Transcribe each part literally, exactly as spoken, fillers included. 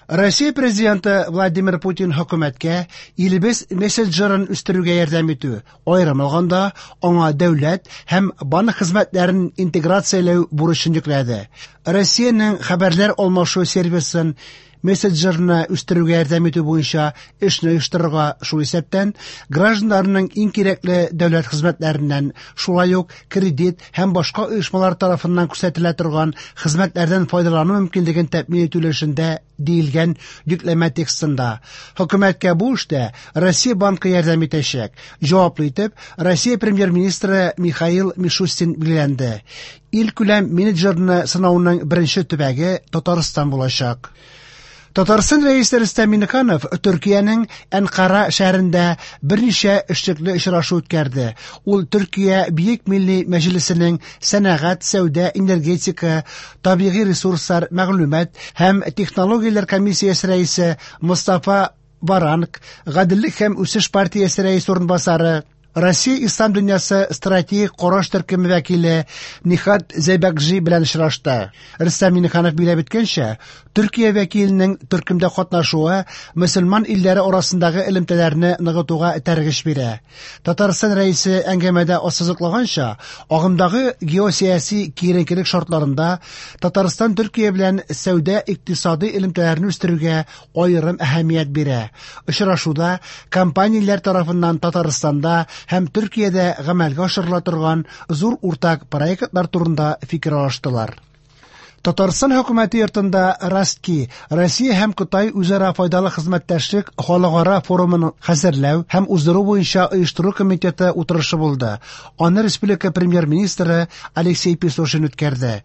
Россия президенты Владимир Путин хөкүмәткә илебез мессенджерын үстерүгә ярдәм итү, аерым алганда, аңа дәүләт һәм банк хезмәтләрен интеграцияләү бурычын йөкләде. Россиянең хәбәрләр алмашу сервисын мессенджерны үстерүгә ярдәм итү буенча эшне оештырырга, шул исәптән гражданнарның иң кирәкле дәүләт хезмәтләреннән, шулай ук кредит һәм башка оешмалар тарафыннан күрсәтелә торган хезмәтләрдән файдалану мөмкинлеген тәэмин итү өлешендә, диелгән йөкләмә текстында. Хөкүмәткә бу эштә Россия банкы ярдәм итәчәк. Җаваплы итеп Россия премьер-министры Михаил Мишустин билгеләнде. Илкүләм менеджерны сынауның беренче төбәге Татарстан булачак. Татарстан рәисе Рөстәм Миңнеханов Төркиянең Әнкара шәһәрендә берничә эшлекле очрашу үткәрде. Ул Төркия Бөек Милли Мәҗлесенең сәнәгать, сәүдә, энергетика, табигый ресурслар, мәгълүмат һәм технологияләр комиссиясе рәисе Мустафа Варанк, Гаделлек һәм үсеш партиясе рәисе урынбасары, Россия Ислам дөньясы стратегик караш төркеме вәкиле Нихат Зәйбәкҗи белән очрашты. Рөстәм Миңнеханов билгеләп үткәнчә, Төркия вәкиленең төркемдә катнашуы мөселман илләре арасындагы элемтәләрне ныгытуга этәргеч бирә. Татарстан рәисе әңгәмәдә ассызыклаганча, агымдагы геосәяси киеренкелек шартларында Татарстан Төркия белән сәүдә-икътисади элемтәләрне үстерүгә аерым әһәмият бирә. Очрашуда компанияләр тарафыннан Татарстанда һәм Төркиядә гамәлгә ашырыла торган зур уртак проектлар турында фикер алыштылар. Татарстан хөкүмәте йортында Ростки, Россия һәм Кытай үзара файдалы хезмәттәшлек халыкара форумын хәзерләү һәм уздыру буенча оештыру комитеты утырышы булды. Аны республика премьер-министры Алексей Песошин үткәрде.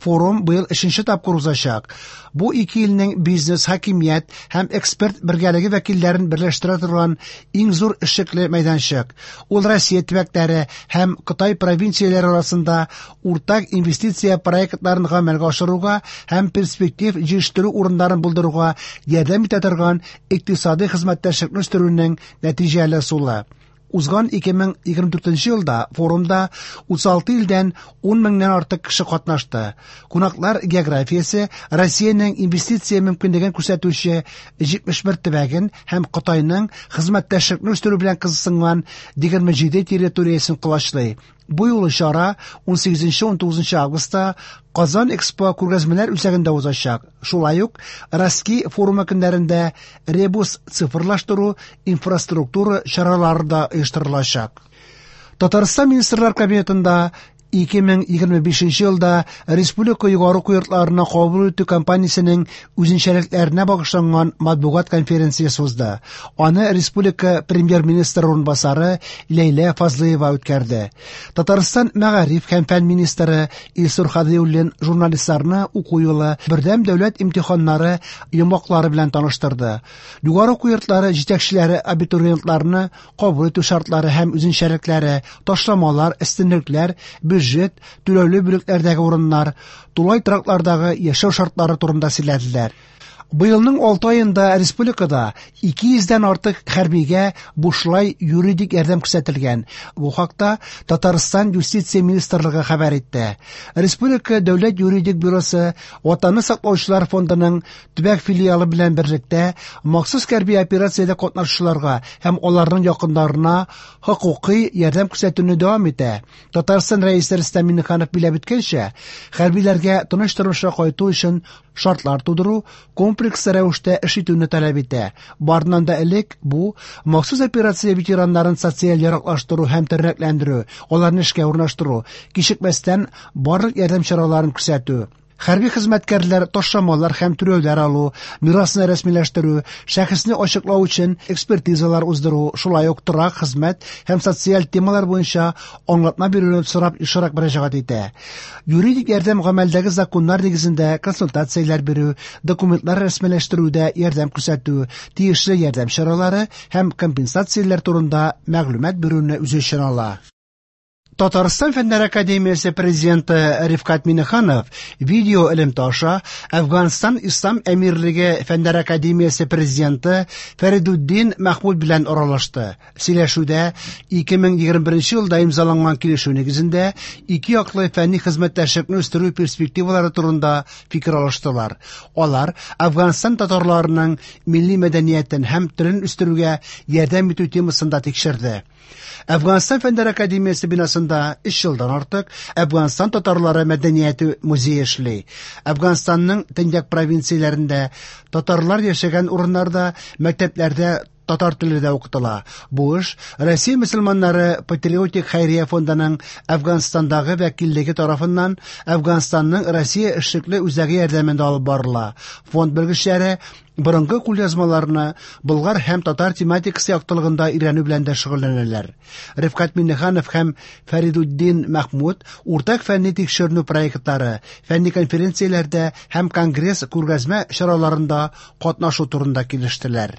Форум быел өченче тапкыр узачак. Бу ике илнең бизнес, хакимият һәм эксперт бергәлеге вәкилләрен берләштерә торган иң зур эшлекле мәйданчык. Ул Россия төбәкләре һәм Кытай провинцияләре арасында уртак инвестиция проектларын гамәлгә ашыруга һәм перспектив җитештерү урыннарын булдыруга ярдәм итә торган икътисади хезмәттәшлекне үстерүнең нәтиҗәле ысулы. Узган ике мең егерме дүртенче елда форумда утыз алты илдән ун меңнән артык кеше катнашты. Кунаклар географиясе Россиянең инвестиция мөмкинлеген күрсәтүче җитмеш бер төбәген һәм Кытайның хезмәттәшлекне үстерү белән кызыксынган егерме җиде территориясен колачлый. Бу юлы чара ун сигезенче-ун тугызынчы августта Казан Экспо күргәзмәләр үзәгендә узачак. Шулай ук Ростки форумы көннәрендә ребус цифрлаштыру инфраструктура чаралары да оештырылачак. Татарстан Министрлар Кабинетында ике мең егерме бишенче елда республика югары уку йортларына кабул итү кампаниясенең үзенчәлекләренә багышланган матбугат конференциясе узды. Аны республика премьер-министры урынбасары Ләйлә Фазлыева үткәрде. Татарстан мәгариф һәм фән министры Илсур Һадиуллин журналистларны уку юлы бердәм дәүләт имтиханнары йомгаклары белән таныштырды. Югары уку йортлары җитәкчеләре абитуриентларны кабул итү шартлары һәм үзенчәлекләре, ташламалар, өстенлекләр, бюджет, түләүле бүлекләрдәге урыннар, тулай тораклардагы яшәү шартлары турында сөйләделәр. Быелның алты аенда республикада ике йөздән артык хәрбигә бушлай юридик ярдәм күрсәтелгән. Бу хакта Татарстан Юстиция министрлыгы хәбәр итте. Республика Дәүләт юридик бюросы Ватанны саклаучылар фондының төбәк филиалы белән берлектә махсус хәрби операциядә катнашучыларга һәм аларның якыннарына хокукый ярдәм күрсәтүне дәвам итә. Татарстан Рәисе Рөстәм Миңнеханов билгеләп үткәнчә, хәрбиләргә тыныч тормышка кайту өчен шартлар тудыру комплекс рәвештә эш итүне таләп итә. Барыннан да элек бу махсус операция ветераннарын социаль яраклаштыру һәм тернәкләндерү, аларны эшкә урнаштыру, кичекмәстән барлык ярдәм чараларын күрсәтү. Хәрби хезмәткәрләр ташламалар һәм түләүләр алу, мирасны рәсмиләштерү, шәхесне ачыклау өчен экспертизалар уздыру, шулай ук торак, хезмәт һәм социаль темалар буенча аңлатма бирүне сорап ешрак мөрәҗәгать итә. Юридик ярдәм гамәлдәге законнар нигезендә консультацияләр бирү, документлар рәсмиләштерүдә ярдәм күрсәтү, тиешле ярдәм чаралары һәм компенсацияләр турында мәгълүмат бирүне үз эченә ала. Татарстан Фәннәр академиясе президенты Рифкать Миңнеханов видео элемтә аша Әфганстан Ислам Әмирлеге Фәннәр академиясе президенты Фәридуддин Мәхмүд белән аралашты. Сөйләшүдә ике мең егерме беренче елда имзаланган килешү нигезендә ике яклы фәнни хезмәттәшлекне үстерү перспективалары турында фикер алыштылар. Алар Әфганстан татарларының милли мәдәниятен һәм телен үстерүгә ярдәм итү темасын да тикшерде. Әфганстан Фәннәр академиясе бинасында өч елдан артык Әфганстан татарлары мәдәнияте музее эшли. Әфганстанның төньяк провинцияләрендә татарлар яшәгән урыннарда мәктәпләрдә татар теле дә укытыла. Бу эш Россия мөселманнары патриотик хәйрия фондының Әфганстандагы вәкиллеге тарафыннан Әфганстанның Россия эшлекле үзәге ярдәмендә алып барыла. Фонд белгечләре борынгы кулъязмаларны болгар һәм татар тематикасы яктылыгында өйрәнү белән дә шөгыльләнәләр. Рифкать Миңнеханов һәм Фәридуддин Мәхмүд уртак фәнни тикшеренү проектлары, фәнни конференцияләрдә һәм конгресс күргәзмә чараларында катнашу турында килештеләр.